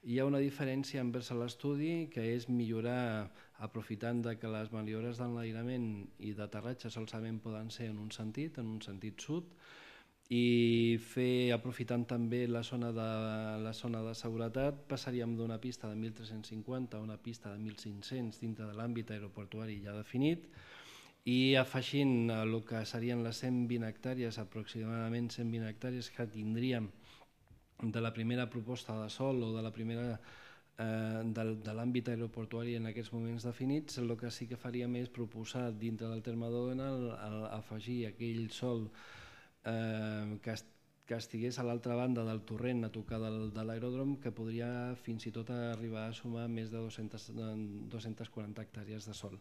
Hi ha una diferència envers l'estudi, que és millorar, aprofitant que les maniobres d'enlairament i d'aterratge solament poden ser en un sentit sud, i aprofitant també la zona de seguretat, passaríem d'una pista de 1.350 a una pista de 1.500 dintre de l'àmbit aeroportuari ja definit, i afegint el que serien les 120 hectàrees, aproximadament 120 hectàrees que tindríem de la primera proposta de sòl o de la primera de l'àmbit aeroportuari en aquests moments definits, el que sí que faríem és proposar dintre del terme d'Òdena afegir aquell sòl que estigués a l'altra banda del torrent a tocar de l'aeròdrom, que podria fins i tot arribar a sumar més de 240 hectàrees de sòl.